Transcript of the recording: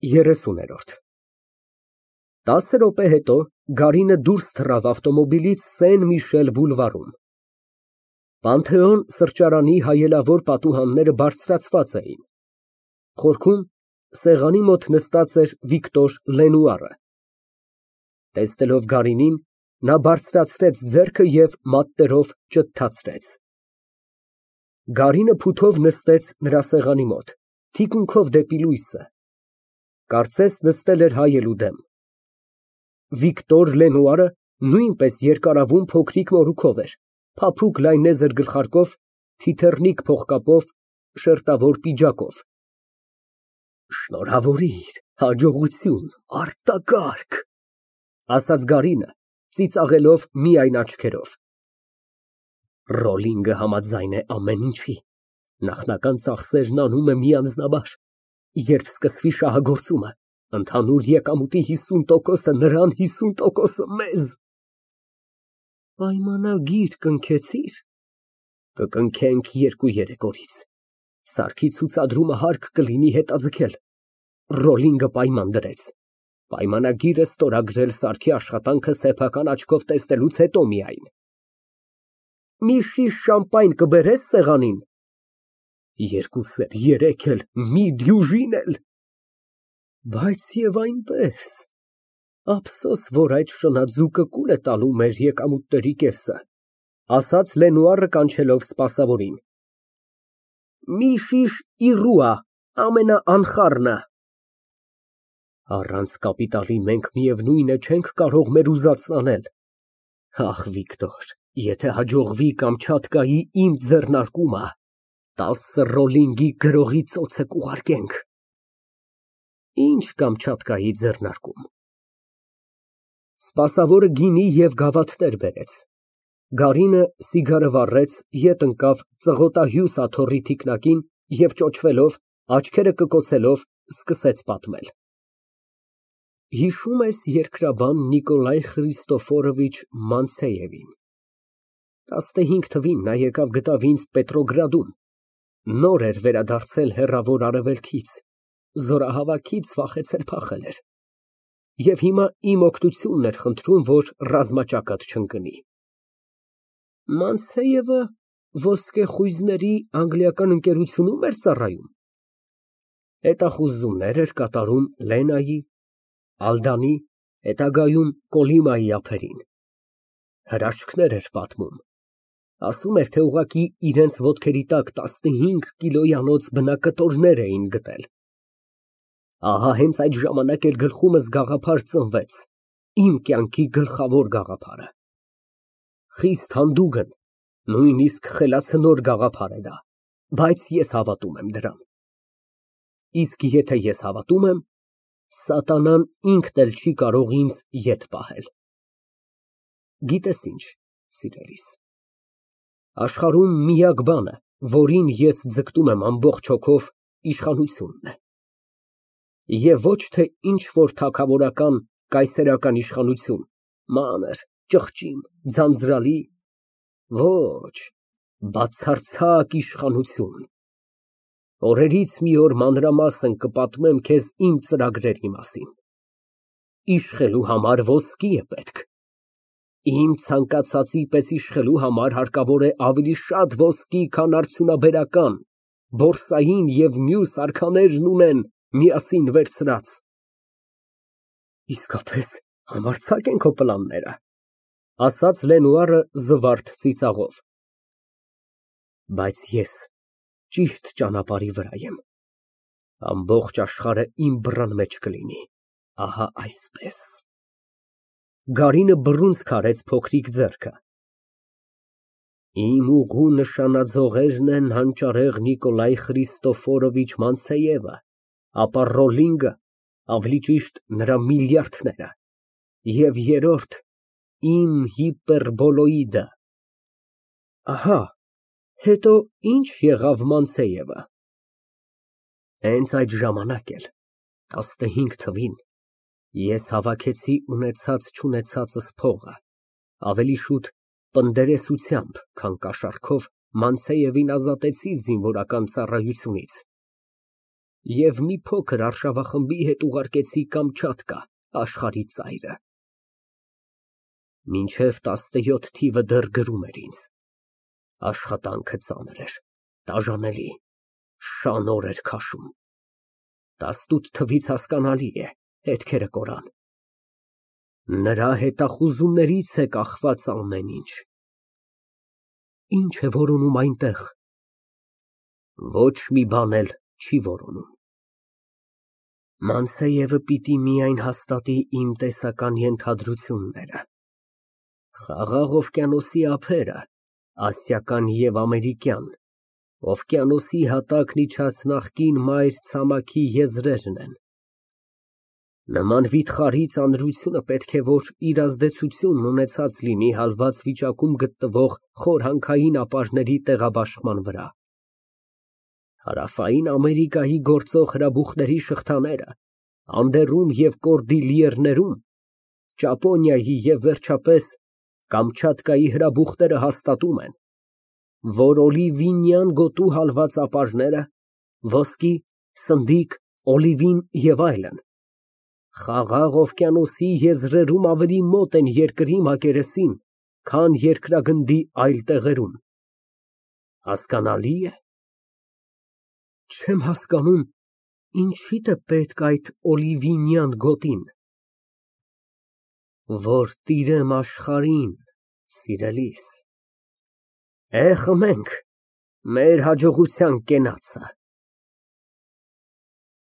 30-րդ 10 րոպե հետո Գարինը դուրս թռավ ավտոմոբիլից Սեն֊Միշել բուլվարում։ «Պանթեոն» սրճարանի հայելավոր պատուհանները բարձրացված էին։ Խորքում սեղանի մոտ նստած էր Վիկտոր Լենուարը։ Տեսնելով Գարինին, նա բարձրացրեց ձեռքը և մատներով ճթթացրեց։ Գարինը փութով նստեց նրա սեղանի մոտ, թիկունքով դեպի լույսը, կարծես նստել էր հայելու դեմ։ Վիկտոր Լենուարը նույնպես երկարավուն փոքրիկ մորուքով էր, փափուկ լայնեզր գլխարկով, թիթեռնիկ փողկապով, շերտավոր պիջակով։ Շնորհավորիր, հաջողություն, արտակարգ, ասաց Գարինը, ծիծաղելով միայն աչքերով։ Ռոլինգը համաձայն է ամեն ինչի, նախնական ծախսերն անում է մի անձնաբար, երբ սկսվի շահագործումը, ընդհանուր եկամուտի 50%-ը նրան, 50%-ը մեզ։ Պայմանագիր կնքեցի՞ր։ Կկնքենք 2-3 օրից։ Սարքի ցուցադրումը հարկ կլինի հետաձգել։ Ռոլինգը պայման դրեց։ Պայմանագիրը ստորագրել Սարքի աշխատանքը սեփական աչքով տեսնելուց հետո միայն։ Մի շիշ շամպայն կբերես սեղանին։ 2 սեր, 3 էլ, մի դյուժին էլ։ Բայց և այնպես, ափսոս, որ այդ շնաձուկը կուլ է տալու մեր եկամուտների կեսը, ասաց Լենուարը կանչելով սպասավորին։ Մի շիշ իռուա, ամենաանխառնը։ Առանց կապիտալի մենք միևնույն է չենք կարող մեր ուզածն անել։ Ախ, Վիկտոր, եթե հաջողվի Կամչատկայի իմ ձեռնարկումը, 10 ռոլինգի գրողի ծոցը կուղարկենք։ Ինչ Կամչատկայի ձեռնարկում։ Սպասավորը գինի և գավաթներ բերեց։ Գարինը սիգարը վառեց, ետ ընկավ ծղոտահյուս աթոռի թիկնակին և ճոճվելով, աչքերը կկոցելով, սկսեց պատմել։ Հիշում ես երկրաբան Նիկոլայ Խրիստոֆորովիչ Մանցեևին։ 15 թվին նա եկավ գտավ ինձ Պետրոգրադում, նոր էր վերադարձել հեռավոր Արևելքից, զորահավաքից վախեցել֊փախել էր, և հիմա իմ օգնությունն էր խնդրում, որ ռազմաճակատ չընկնի։ Մանցեևը ոսկեխույզների անգլիական ընկերությու՞ւմ էր ծառայում։ Հետախուզումներ էր կատարում Լենայի, Ալդանի, հետագայում Կոլիմայի ափերին։ Հրաշքներ էր պատմում։ Ասում էր, թե ուղղակի իրենց ոտքերի տակ 15 կիլոյանոց բնակտորներ էին գտել։ Ահա հենց այդ ժամանակ էլ գլխումս գաղափար ծնվեց, իմ կյանքի գլխավոր գաղափարը։ Խիստ հանդուգն, նույնիսկ խելացնոր գաղափար է դա, բայց ես հավատում եմ դրան։ Իսկ եթե ես հավատում եմ, սատանան ինքն էլ չի կարող ինձ ետ պահել։ Գիտես ինչ, սիրելիս, աշխարհում միակ բանը, որին ես ձգտում եմ ամբողջ հոգով, իշխանությունն է։ Եվ ոչ թե ինչ֊որ թագավորական, կայսերական իշխանություն, մանր, ճղճիմ, ձանձրալի, ոչ, բացարձակ իշխանություն։ Օրերից մի օր մանրամասն կպատմեմ քեզ իմ ծրագրերի մասին։ Իշխելու համար ոսկի է պետք։ Իմ ցանկացածի պես իշխելու համար հարկավոր է ավելի շատ ոսկի, քան արդյունաբերական, բորսային և մյուս արքաներն ունեն միասին վերցրած։ Իսկապես համարձակ են քո պլանները, ասաց Լենուարը զվարթ ծիծաղով։ Բայց ես ճիշտ ճանապարհի վրա եմ։ Ամբողջ աշխարհը իմ բռան մեջ կլինի, ահա այսպես։ Գարինը բռունցք արեց փոքրիկ ձեռքը։ Իմ ուղու նշանաձողերն են հանճարեղ Նիկոլայ Խրիստոֆորովիչ Մանցեևը, ապա Ռոլինգը, ավելի ճիշտ նրա միլիարդները, և երրորդ իմ հիպերբոլոիդը։ Ահա, հետո ի՞նչ եղավ Մանցեևը։ Հենց այդ ժամանակ էլ, 15 թվին, ես հավաքեցի ունեցած֊չունեցածս փողը, ավելի շուտ պնդերեսությամբ, քան կաշառքով Մանցեևին ազատեցի զինվորական ծառայությունից։ Եվ մի փոքր արշավախմբի հետ ուղարկեցի Կամչատկա, աշխարհի ծայրը։ Մինչև 17 թիվը դեռ գրում էր ինձ։ Աշխատանքը ծանր էր, տաժանելի, շան օր էր քաշում։ 18 թվից հասկանալի է, հետքերը կորան։ Նրա հետախուզումներից է կախված ամեն ինչ։ Ինչ է որոնում այնտեղ։ Ոչ մի բան էլ չի որոնում։ Մանսեևը պիտի միայն հաստատի իմ տեսական ենթադրությունները։ Խաղաղ օվկիանոսի ափերը, ասիական և ամերիկյան, օվկիանոսի հատակն իջած նախկին մայր ցամաքի եզրերն են։ Նման վիթխարի ծանրությունը պետք է որ իր ազդեցությունն ունեցած լինի հալված վիճակում գտնվող խորհանքային ապարների տեղաբաշխման վրա։ Հարավային Ամերիկայի գործող հրաբուխների շղթաները Անդերում և Կորդիլիերներում, Ճապոնիայի և վերջապես Կամչատկայի հրաբուխները հաստատում են, որ օլիվինյան գոտու հալված ապարները, ոսկի, սնդիկ, օլիվին և այլն, Խաղաղ օվկիանոսի եզրերում ավելի մոտ են երկրի մակերեսին, քան երկրագնդի այլ տեղերում։ Հասկանալի է։ Չեմ հասկանում, ինչիդ է պետք այդ օլիվինյան գոտին։ Որ տիրեմ աշխարհին, սիրելիս, խմենք մեր հաջողության կենացը։